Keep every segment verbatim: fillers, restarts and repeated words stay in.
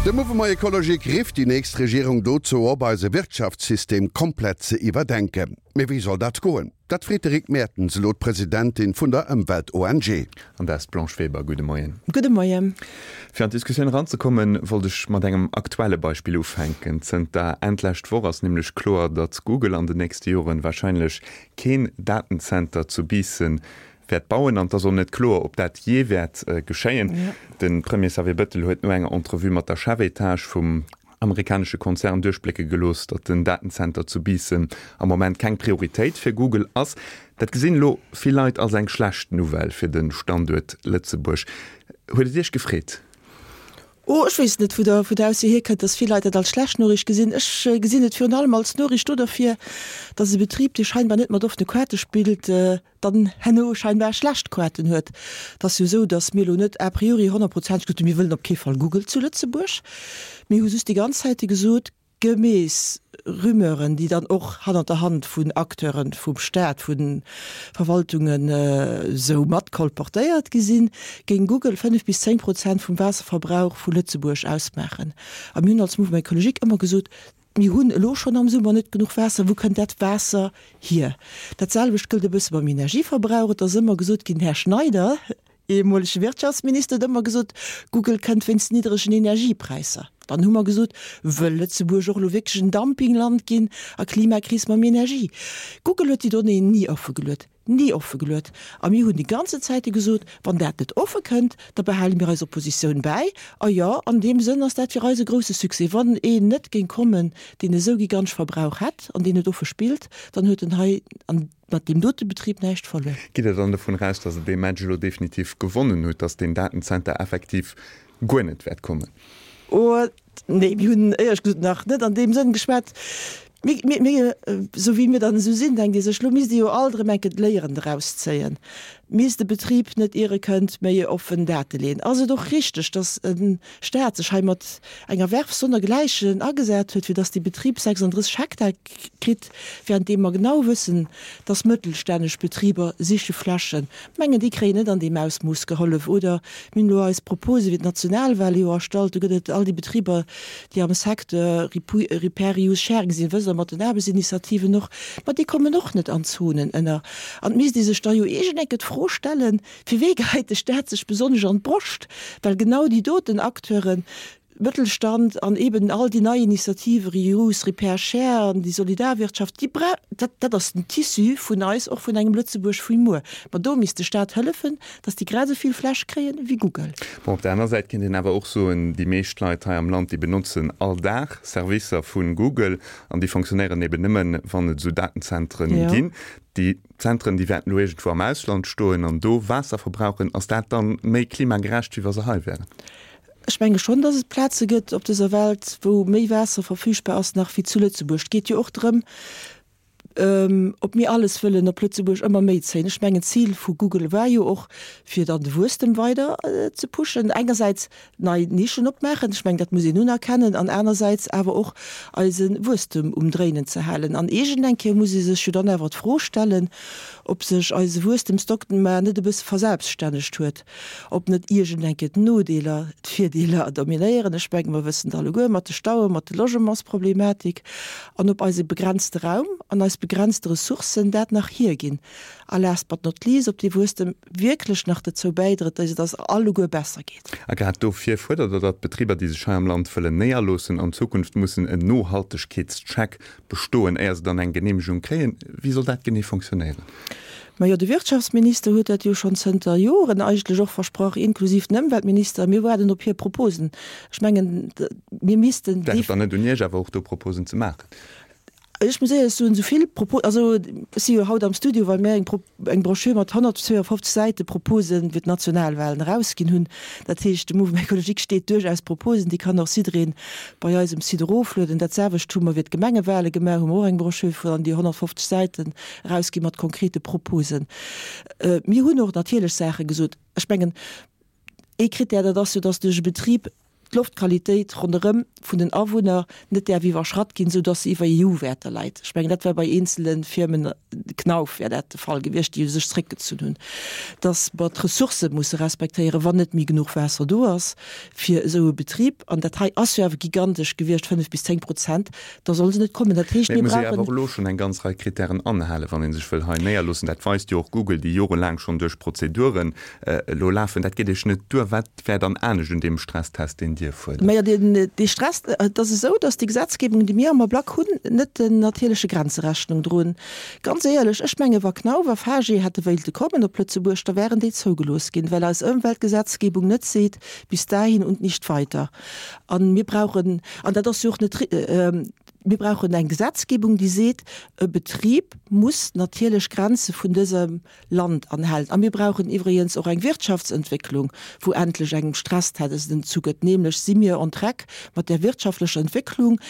De Mouvement Ecologique rifft déi nächst Regierung dozou op, eise Wirtschaftssystem komplett ze iwwerdenken. Mee wéi soll dat goen? Dat freet de Rick Mertens elo d'Presidentin vun der Ëmwelt-ONG. An dat ass d'Blanche Weber. Gudde Moien. Gudde Moien. Fir an d'Diskussioun eranzekommen, wollt ech mat engem aktuelle Beispill ufänken. Zënter Enn d'lescht Woch ass nämlech kloer, datt Google an den nächste Joren warscheinlech keen Datenzenter zu Biissen wäert bauen. An et ass och net kloer, ob dat jee wäert geschéien. De Premier Xavier Bettel huet no enger Entrevue mat der Chefetage vum amerikanesche Konzern duerchblécke gelooss, datt den Datenzenter zu Biissen am Moment keng Prioritéit fir Google ass. Dat gesinn elo vill Leit als eng schlecht Nouvelle fir de Standuert Lëtzebuerg. Huet et Iech gefreet? Oh, ech weess net, wou der, wou d'Ausso hierkënnt, datt vill Leit dat als schlecht Noriicht gesinn. Ech gesinn et virun allem als Noriicht do derfir, datt e Betrib, dee scheinbar net mat offene Kaarte spillt, dann herno scheinbar schlecht Kaarten huet. Et ass jo esou, datt mir elo net a priori honnertprozenteg gesot hunn, mir wëllen op kee Fall Google zu Lëtzebuerg. Mir hu just déi ganz Zäite gesot, Gemäss Rumeuren, déi dann och hannert der Hand vun Acteuren vum Staat, vu Verwaltungen esou mat kolportéiert gi sinn, géing Google fënnef bis zéng Prozent vum Waasserverbrauch vu Lëtzebuerg ausmaachen. A mir hunn als Mouvement Écologique ëmmer gesot, Mir hunn elo schonn am Summer net genuch Waasser, wou kënnt dat Waasser hier? Dat selwecht gëllt e bësse beim Energieverbrauch. Et ass ëmmer gesot ginn, den Här Schneider, ehemolege Wirtschaftsminister, huet ëmmer gesot, Google kënnt wéinst niddregen Energiepräisser. Dann hu mer gesot, wëll Lëtzebuerg och elo wierklech en Dumpingland ginn a Klimakris mam Energie? Google huet déi Donnéeën ni offegeluet, ni offegeluet. A mir hunn déi ganze Zäite gesot, wann dat net offe kënnt, da behale mir eis Oppositioun bäi. A jo, an deem Sënn ass dat fir eis e grousse Succès. Wann een net géing kommen, deen esou gigantesch Verbrauch hätt an deen et offe spillt, dann huet en hei an mat deem dote Betrib näischt verluer. Gitt Der dann dovun eraus, datt Der dee Match elo definitiv gewonnen hutt, datt deen Datenzenter effektiv guer net wäert kommen? Oh, nee, mir hunn éierlech gesot nach net an deem Sënn geschwat. Mir, mir, mir, esou wéi mir dann esou sinn, denkt ee sech, elo misst ee jo alt erëm eng Kéier d'Léieren draus zéien. Misst de Betrib net ier e kënnt méi offen Date leeën? Ass et och richteg, datt e Staat sech hei mat enger Werf sonnergläichen agesat huet, fir datt dee Betrib sechsunddrësseg Hektar kritt, währenddeem mer genau wëssen, datt mëttelstännesch Betriber siche Flächen, mengen, déi kréien net an deem Ausmooss gehollef. Oder mir hunn elo eis Propose fir d'Nationalwahl jo erstallt, do gëtt et all déi Betriber, déi am Secteur Repair, Reuse, Sharing sinn, wësst Der, mat den Aarbechtsinitiativen och, ma déi kommen och net an d'Zonen ënner. An et misst ee sech da jo iergend enke d'Fro stellen, Fir wee geheit de Staat sech besonnesch an d'Broscht? Well genau déi doten Acteuren, Mëttelstand an eben all déi nei Initiative, Reuse, Repair, Share an déi Solidarwirtschaft, déi bra-, dat, dat ass den Tissu vun eis, och vun engem Lëtzebuerg vu muer. Ma do misst de Staat hëllefen, dass déi grad esou vill Fläch kréien wéi Google. Bon, op der aner Säit kéint een awer och soen, déi meescht Leit hei am Land, déi benotzen all Dag Servicer vu Google an déi fonctionnéieren eben nëmmen, wann et esou Datenzentren ginn. Déi Zentren, déi wäerten elo iergendwou am Ausland stoen an do Waasser verbrauchen. Ass dat dann méi klimagerecht, wéi wa se hei wären? Ech menge schonn, dass et Plaze gëtt op dëser Welt, wou méi Waasser verfügbar ass nach wéi zu Lëtzebuerg. Et geet jo och drëm, ob mir alles wëllen op Lëtzebuerg ëmmer méi zéien. Ech mengen, d'Zil vu Google war jo och, fir dann de Wuesstem weider ze pushen. Engersäits nei Nischen opmaachen, ech mengen, dat muss een unerkennen, an anersäits awer och eise Wuesstem um Dréinen ze halen. An iergend eng Kéier muss ee sech jo dann awer d'Fro stellen, ob sech eise Wuesstemsdogma net e bësse verselbststännegt huet, ob net iergend eng Kéier d'Nodeeler d'Virdeeler dominéieren. Ech menge mer wëssen et alleguer mat de Stauen, mat de Logementsproblematik, an ob eise begrenzte Raum an eis begrenzte Ressourcen dat nach hierginn. A last but not least, ob dee Wuesstem wierklech nach dozou bäidrëtt, datt et eis alleguer besser geet. A grad dofir fuerdert Der, datt d'Betriber, déi sech hei am Land wëllen néierloossen, an Zukunft mussen en Nohaltegkeetscheck bestoen, éier se dann eng Geneemegung kréien. Wéi soll dat genee fonctionnéieren? Majo, de Wirtschaftsminister huet dat jo schonn zënter Joren eigentlech och versprach, inklusiv den Ëmweltminister. Mir waarden op hir Proposen. Ech mengen, mir missten. Wär et dann net un Iech awer och do Proposen ze maachen? Ech muss éierlech soen, esou vill Propos, also ech si jo haut am Studio, well mir eng Pro, eng Broschür mat honnertzweeafofzeg Säite Propose fir d'Nationalwahlen erausginn hunn. Dat heescht, de Mouvement Écologique steet duerchaus Proposen, déi kann och jiddereen bei eis um Site eroflueden. Dat selwecht hu mer fir d'Gemengewale gemaach, hu mer och eng Broschür vun an déi honnertfofzeg Säiten erausginn mat konkrete Proposen. Mir hunn och natierlech Saache gesot. Ech mengen, ee Krittär, dat ass jo, dass duerch e Betrib d'Loftqualitéit ronderëm vun den Awunner net däerf iwwerschratt ginn, esou dass se iwwer E U-Wäerter läit. Ech mengen, dat war bei eenzele Firmen, Knauf wär dat de Fall gewiescht, déi sech zréckgezunn hunn. Dass mer d'Ressourcë musse respektéieren, wann net méi genuch Waasser do ass fir esou e Betrib, an dat hei ass jo awer gigantesch gewiescht, fënnef bis zéng Prozent, da solle se net kommen. Dat heescht, Mee et mir muss ee awer brauchen. och elo schonn eng ganz Rei Krittären anhalen, wann ee sech wëll hei néierloossen. Dat weist jo och Google, déi jorelaang schonn duerch Prozeduren elo lafen. Dat geet Iech net duer. Wat wär dann anescht un deem Stresstest, deen Dir fuerdert? Majo, deen, dee Stress, et ass esou, dass déi Gesetzgebung, déi mir am Ablack hunn, net den natierleche Grenze Rechnung droen. Ganz éierlech, ech menge wa Knauf a Fage hätte wéilte kommen op Lëtzebuerg, da wären déi zougelooss ginn, well eis Ëmweltgesetzgebung net seet, bis dahin und nicht weiter. An mir brauchen, an dat ass jo och net, mir brauchen eng Gesetzgebung, déi seet, e Betrib muss natierlech Grenze vun dësem Land anhalen. A mir brauchen iwwregens och eng Wirtschaftsentwécklung, wou endlech engem Stresstest entzugëtt, nämlech si mir on track mat der wirtschaftlecher Entwécklung,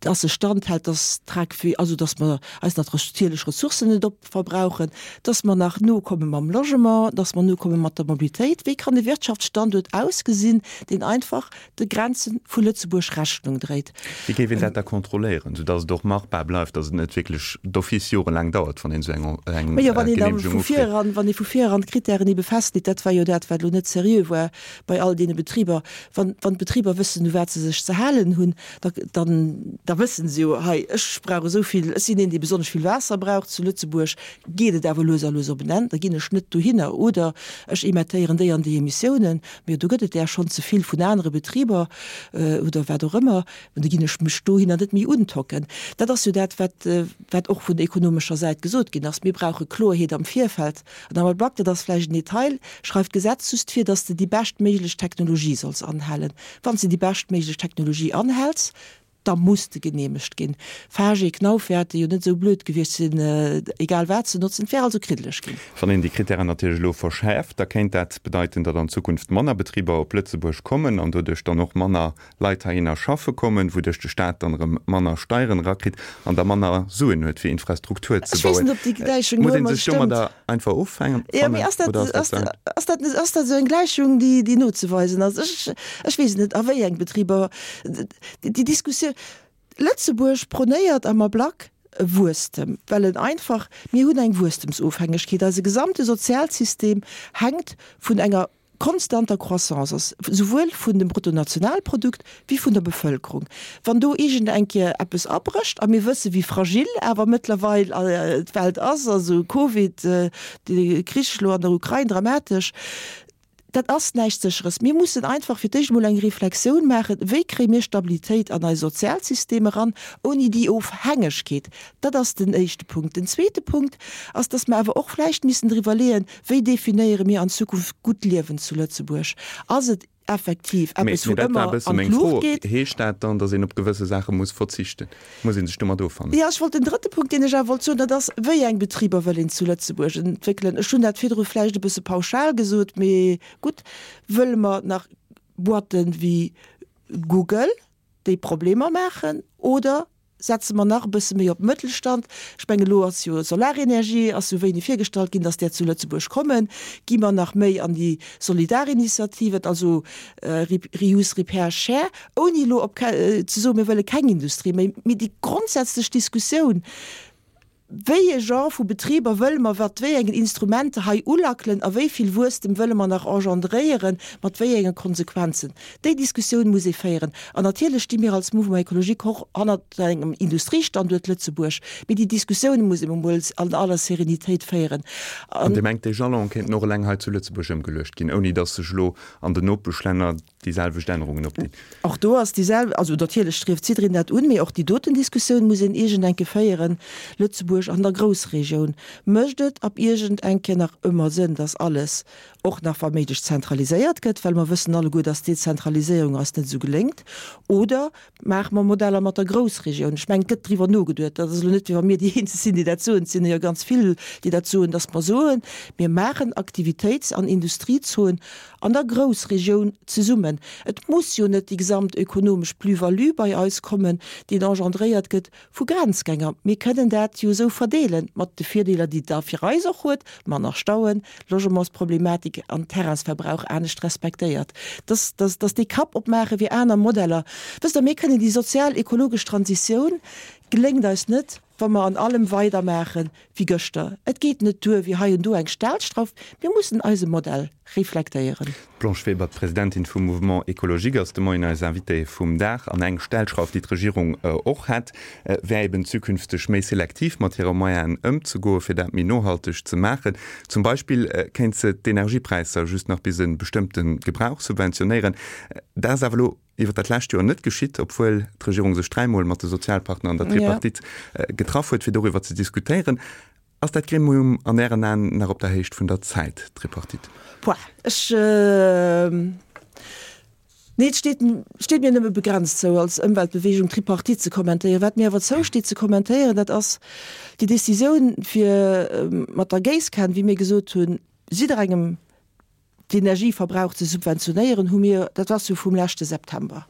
dass se standhält, dass Track, also dass mer eis natierlech Ressourcen net opverbrauchen, dass mer nach nokomme mam Logement, dass mer nokomme mat der Mobilitéit. Wéi kann e Wirtschaftsstanduert ausgesinn, deen einfach de Grenze vu Lëtzebuerg Rechnung dréit? Wéi géif een dat da kontrolléieren, soudass et och machbar bleift, dass et net wierklech d'office jorelaang dauert, wann een esou eng eng Majo, wann een da Genehmegung vu ufreet? vir eran, wann ee vu vir eran d'Kritären ebe festleet, dat war jo dat, wat elo net seriö war bei all deene Betriber, wann, wann d'Betriber wëssen, u wat se sech ze halen hunn, da, dann, da wëssen se jo, hei, ech brauch esou vill, ech sinn een, dee besonnesch vill Waasser brauch, zu Lëtzebuerg geet et awer lues a lues op en Enn, da ginn ech net dohinner oder ech emettéieren déi an déi Emissiounen, mee do gëtt et där schonn ze vill vun anere Betriber oder wat och ëmmer, an da ginn ech mech dohinner net méi untocken. Dat ass jo dat, wat, wat och vun ekonomescher Säit gesot ginn ass, mir brauche Kloerheet am Virfeld. An am Ablack, dat ass vläicht en Detail, schreift d'Gesetz just vir, dass de déi beschtméiglech Technologie solls anhalen. Wann s de déi beschtméiglech Technologie anhäls, da muss de geneemegt ginn. Fage, Knauf wäerte jo net esou blöd gewiescht sinn, egal wat ze notzen, et wär also kriddeleg ginn. Wann een déi Krittären natierlech elo verschäerft, da kéint dat bedeiten, datt an Zukunft manner Betriber op Lëtzebuerg kommen an doduerch dann och manner Leit heihinner schaffe kommen, wouduerch de Staat dann erëm manner Steieren erakritt an da manner Suen huet fir Infrastruktur ze Ech weess bauen. net, ob déi Gläichung Muss elo ee ëmmer sech domadder stëmmt. einfach offangen Jo, mee ass dat, oder ass dat ass, ze ass dat, ass dat esou eng Gläichung, déi, déi nozeweisen ass? Ech, ech weess net, a wéi eng Betriber, déi Diskussioun, Lëtzebuerg prônéiert am Ablack e Wuesstem, well en einfach, mir hunn eng Wuesstemsofhängegkeet, eise gesamte Sozialsystem hänkt vun enger konstanter Croissance ass, souwuel vun dem Bruttonationalprodukt wéi vun der Bevëlkerung. Wann do iergend eng Kéier eppes abrécht, a mir wësse wéi fragil awer mëttlerweil d'Welt ass, also Covid, de Krich elo an der Ukrain, dramatesch, dat ass näischt Sécheres. Mir mussen einfach fir d'éischt emol eng Reflexioun maachen, wéi kréie mir Stabilitéit an eis Sozialsystem eran, ouni déi Ofhängegkeet. Dat ass den éischte Punkt. Den zweete Punkt ass, dass mer awer och vläicht missen driwwer leeën, wéi definéiere mir an Zukunft gutt Liewen zu Lëtzebuerg. Ass et effektiv Mee, eppes mee wou dat war e ëmmer bësse an meng Fro. d'Luucht geet? Heescht dat dann, datt een op gewësse Saache muss verzichten? Muss ee sech domat offannen? Jo, ech wollt den drëtte Punkt, deen ech awer wollt soen, dat ass, wéi eng Betriber wëll een zu Lëtzebuerg entwéckelen? Ech hunn dat virdru vläicht e bësse pauschal gesot, mee gutt, wëlle mer nach Boîten wéi Google, déi Problemer maachen, oder setze mer nach e bësse méi op Mëttelstand? Ech mengen, elo ass jo Solarenergie ass jo wéini virgestallt ginn, dass där zu Lëtzebuerg kommen. Gi mer nach méi an déi Solidarinitiativen, also Reuse, Repair, Share, ouni elo op ze soen, mir wëlle keng Industrie méi, mee déi grondsätzlech Diskussioun, wéi e Genre vu Betriber wëlle mer mat wéi engen Instrumenter hei ulackelen a wéi vill Wuesstem wëlle mer nach engendréieren, mat wéi enge Konsequenzen? Déi Diskussioun muss ee féieren. An natierlech sti mir als Mouvement Écologique och hannert engem Industriestanduert Lëtzebuerg, mee déi Diskussioun muss ee emol an aller Serenitéit féieren. An Dir mengt, dee Jalon kéinten och eleng hei zu Lëtzebuerg ëmgeluecht ginn, ouni datt sech elo an den Nopeschlänner déi selwecht Ännerungen opdinn? Och do ass déi sel-, also natierlech strieft jiddereen dat un, mee och déi doten Diskussioun muss een iergend eng Kéier féieren. Lëtzebuerg an der Groussregioun, mécht et ab iergend eng Kéier nach ëmmer Sënn, dass alles och nach wa méiglech zentraliséiert gëtt, well mer wëssen alleguer, dass d'Dezentraliséierung eis net esou geléngt, oder maache mer Modeller mat der Groussregioun? Ech mengen, et gëtt driwwer nogeduet, dat ass elo net, wéi wa mir déi eenzeg sinn, déi dat soen, et sinn jo ganz vill, déi dat soen, dass mer soen, mir maachen Aktivitéits an Industriezonen an der Groussregioun zesummen. Et muss jo net déi gesamt ökonomesch Plus-value bei eis kommen, déi engendréiert gëtt vu Grenzgänger. Mir kënnen dat jo esou verdeelen, mat de Virdeeler, déi et da fir eis och huet, manner Stauen, Logementsproblematiken, Technik an Terrainsverbrauch anescht respektéiert. Dass, dass, dass déi Kapp opmaache fir aner Modeller. Wësst Der, mir kënnen déi sozial-ekologesch Transitioun geléngt eis net, wa mer an allem weidermaache wéi gëschter. Et geet net duer, wéi hei und do eng Stellschrauf. Mir mussen eise Modell reflektéieren. D'Blanche Weber, d'Presidentin vum Mouvement Écologique, ass de Moien eis Invitée vum Dag. An eng Stellschrauf, déi d'Regierung och hätt, wär eben zukünfteg méi selektiv mat hire Moyenen ëmzegoen, fir dat méi nohalteg ze maachen. Zum Beispill kéint se d'Energiepräisser just nach bis e bestëmmte Gebrauch subventionéieren. Dat ass awer elo iwwer dat lescht Joer net geschitt, obwuel d'Regierung sech dräimol mat de Sozialpartner an der Tripartite getraff huet, fir doriwwer ze diskutéieren. Ass dat Gremium an Ären Aen nach op der Héicht vun der Zäit, d'Tripartite? Pouah, ech, nee, et steet, steet mir nëmme begrenzt zou, als Ëmweltbewegung d'Tripartite ze kommentéieren. Wat mir awer zousteet ze kommentéieren, dat ass déi Décisioun, fir mat der Géisskan, wéi mir gesot hunn, jidderengem d'Energieverbrauch ze subventionéieren, hu mir, dat ass jo vum leschte September.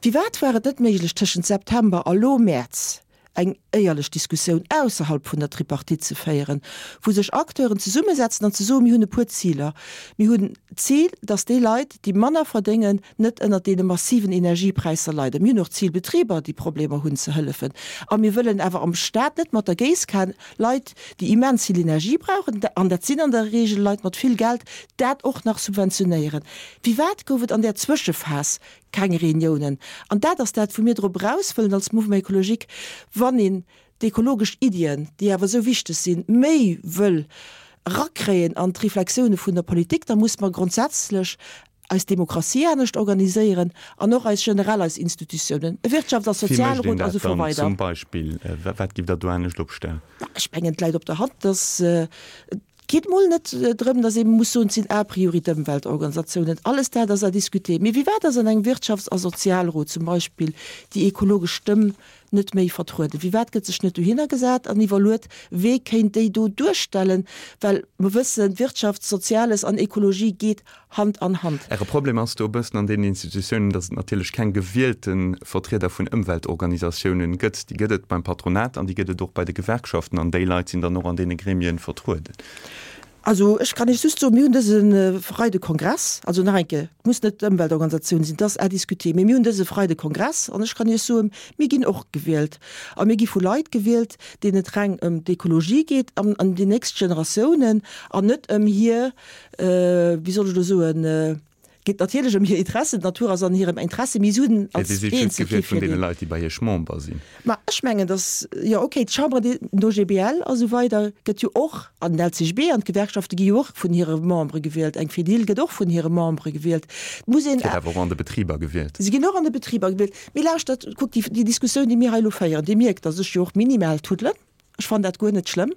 Firwat war et net méiglech tëschent September a lo Mäerz eng éierlech Diskussioun ausserhalb vun der Tripartite ze féieren, wou sech Acteuren zesummesetzen an ze soen, mir hunn e puer Ziler. Mir hunn d'Zil, datt déi Leit, déi manner verdéngen, net ënnert deene massiven Energiepräisser leiden. Mir hunn och d'Zil, Betriber, déi Problemer hunn, ze hëllefen. A mir wëllen awer am Staat net mat der Géisskan Leit, déi immens vill Energie brauchen, an dat sinn an der Regel Leit mat vill Geld, dat och nach subventionéieren. Firwat gouf et an där Zwëschephas keng Reuniounen? An dat ass dat, wou mir drop eraus wëllen als Mouvement écologique, wann een d'ekologesch Iddien, déi awer esou wichteg sinn, méi wëll erakréien an d'Reflexioune vun der Politik, da muss mer grondsätzlech eis Demokratie anescht organiséieren an och eis generell eis Institutiounen, e Wirtschafts a Wéi mécht een Sozialrot a dat sou dann weider. zum Beispill? Wat giff Der do anescht opstellen? Ech mengen, et läit op der Hand, dass et geet mol net drëm, dass ee muss soen, et sinn a priori d'Ëmweltorganisatiounen. Alles dat ass à discuter. Mee firwat ass an engem Wirtschafts a Sozialrot zum Beispill déi ekologesch Stëmm net méi vertrueden? Firwat gëtt sech net dohinner gesat an iwwerluet, wee kéint déi do duerstellen? Well mer wëssen, Wirtschaft, Soziales an Ekologie geet Hand an Hand. Äre Problem ass do e bëssen an deenen Institutiounen, datt et natierlech keng gewielte Vertrieder vun Ëmweltorganisatiounen gëtt. Déi gëtt et beim Patronat an déi gëtt et och bei de Gewerkschaften an déi Leit sinn dann och an deene Gremien vertrueden. Also ech kann Iech just soen, mir hunn dëse Freide Kongress, also nach eng Kéier, et muss net d'Ëmweltorganisatioun sinn, dat ass à discuter, mee mir hunn dëse Freide Kongress an ech kann Iech soen, mir ginn och gewielt a mir gi vu Leit gewielt, deenen et reng ëm d'Ekologie geet an ëm déi nächst Generatiounen an net ëm hir, wéi soll ech elo soen, geet natierlech ëm hir Interessen, d'Natur ass an hirem Interesse, mee si hunn Dir als sidd just eenzel kee gewielt vun deene Virdeel. Leit, déi bei Iech Member sinn. Ma ech mengen, datt, jo okay, d'Chambre des, den O G B L a sou weider gëtt jo och, an den L C G B an d'Gewerkschafte gi jo och vun hire Membere gewielt, eng Fedil gëtt och vun hire Membere gewielt. Et muss een. Gëtt awer och an de Betriber gewielt. Si ginn och an de Betriber gewielt. Mee lauschtert, kuckt, déi, déi Diskussioun, déi mir hei elo féieren, Dir mierkt, datt ech jo och minimal tuddelen. Ech fannen dat guer net schlëmm.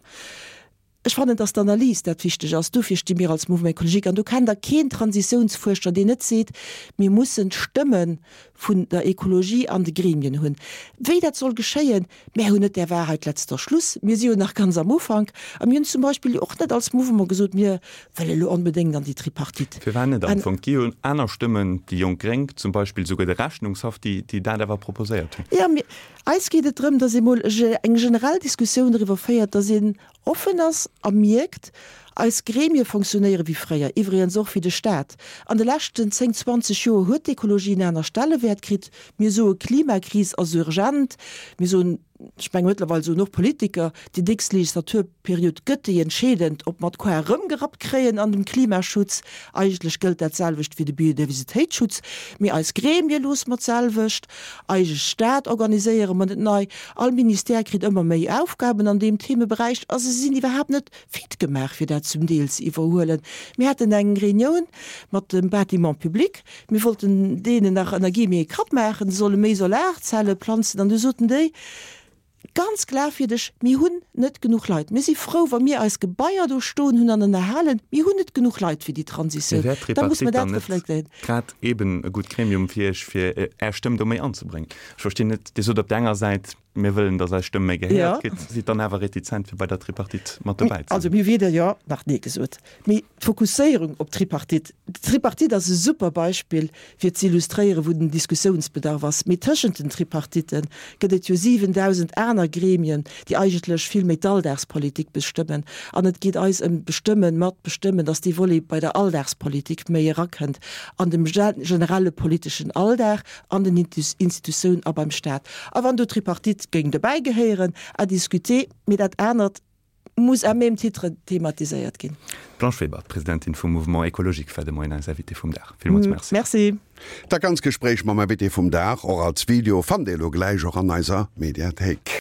Ech fannen, dass d'Analys dat wichteg ass. Dofir sti mir als Mouvement écologique. An do kennt Der keen Transitiounsfuerscher, deen net seet, mir mussen d'Stëmme vun der Ekologie an de Gremien hunn. Wéi dat soll geschéien, mär hunn net der Wahrheit letzter Schluss. Mir si jo nach ganz am Ufank. A mir hunn zum Beispill jo och net als Mouvement gesot, mir wëlle elo onbedéngt an déi Tripartite. Firwat net am Fong? Et gi jo aner Stëmmen, déi Jonk Gréng zum Beispill, souguer de Rechnungshaff, déi dat awer proposéiert hunn. Jo, mir, eis geet et drëm, dass ee mol eng generell Diskussioun driwwer féiert, dass een offen ass a mierkt, eis Gremie fonctionnéiere wéi fréier, iwwregens och wéi de Staat. An de leschten zéng, zwanzeg Joer huet d'Ekologie en aner Stellewäert kritt. Mir soe Klimakris ass urgent, mir soen, ech menge mëttlerweil soen och Politiker, déi nächst Legislaturperiod gëtt déi entscheedend, ob mer d'Koar erëmgerappt kréien an dem Klimaschutz. Eigentlech gëllt dat selwecht fir de Biodiversitéitsschutz. Mee eis Gremie loosse mer d'selwecht, eise Staat organiséiere mer net nei, all Ministère kritt ëmmer méi Aufgaben an deem Themeberäich a se sinn iwwerhaapt net fit gemaach, fir dat zum Deel ze iwwerhuelen. Mir haten eng Reunioun mat dem Bâtiment public, mir wollten deenen nach ënner Guillemets ee Krapp maachen, se solle méi Solarzelle planzen, an du soten déi ganz glafwierdeg, Mir hunn net genuch Leit. Mir si frou, wa mir eis Gebaier do stoen hunn an ënnerhalen. Mir hunn net genuch Leit fir déi Mee Transitioun. wär Da muss d'Tripartite mer dann dat net reflektéieren. grad eben e gutt Gremium fir Iech, fir Är Stëmm do méi anzebréngen? Ech verstinn net, Dir sot op der enger Säit, mir wëllen, datt eis Stëmm méi gehéiert gëtt, sidd dann awer retizent fir bei der Tripartite mat dobäi ze sinn. Also mir hu weder Jo nach Nee gesot. Mee d'Fokusséierung op d'Tripartite, d'Tripartite ass e super Beispill fir ze illustréieren, wou den Diskussiounsbedarf ass. Mee tëschent den Tripartitten gëtt et jo siwendausend aner Gremien, déi eigentlech vill méi d'Alldagspolitik bestëmmen. An et geet eis ëm d'Bestëmmen, mat bestëmmen, datt dee Volet bei der Alldagspolitik méi erakënnt an dem generelle politeschen Alldag, an den Institutiounen a beim Staat. A wann do d'Tripartite géing dobäi gehéieren, à discuter, mee dat anert muss à même titre thematiséiert ginn. D'Blanche Weber, d'Presidentin vum Mouvement Écologique, war de Moien eis Invitée vum Dag. Villmools Merci. Merci. Dat ganz Gespréich mam Invité vum Dag, och als Video, fannt Dir elo gläich och an eiser Mediathéik.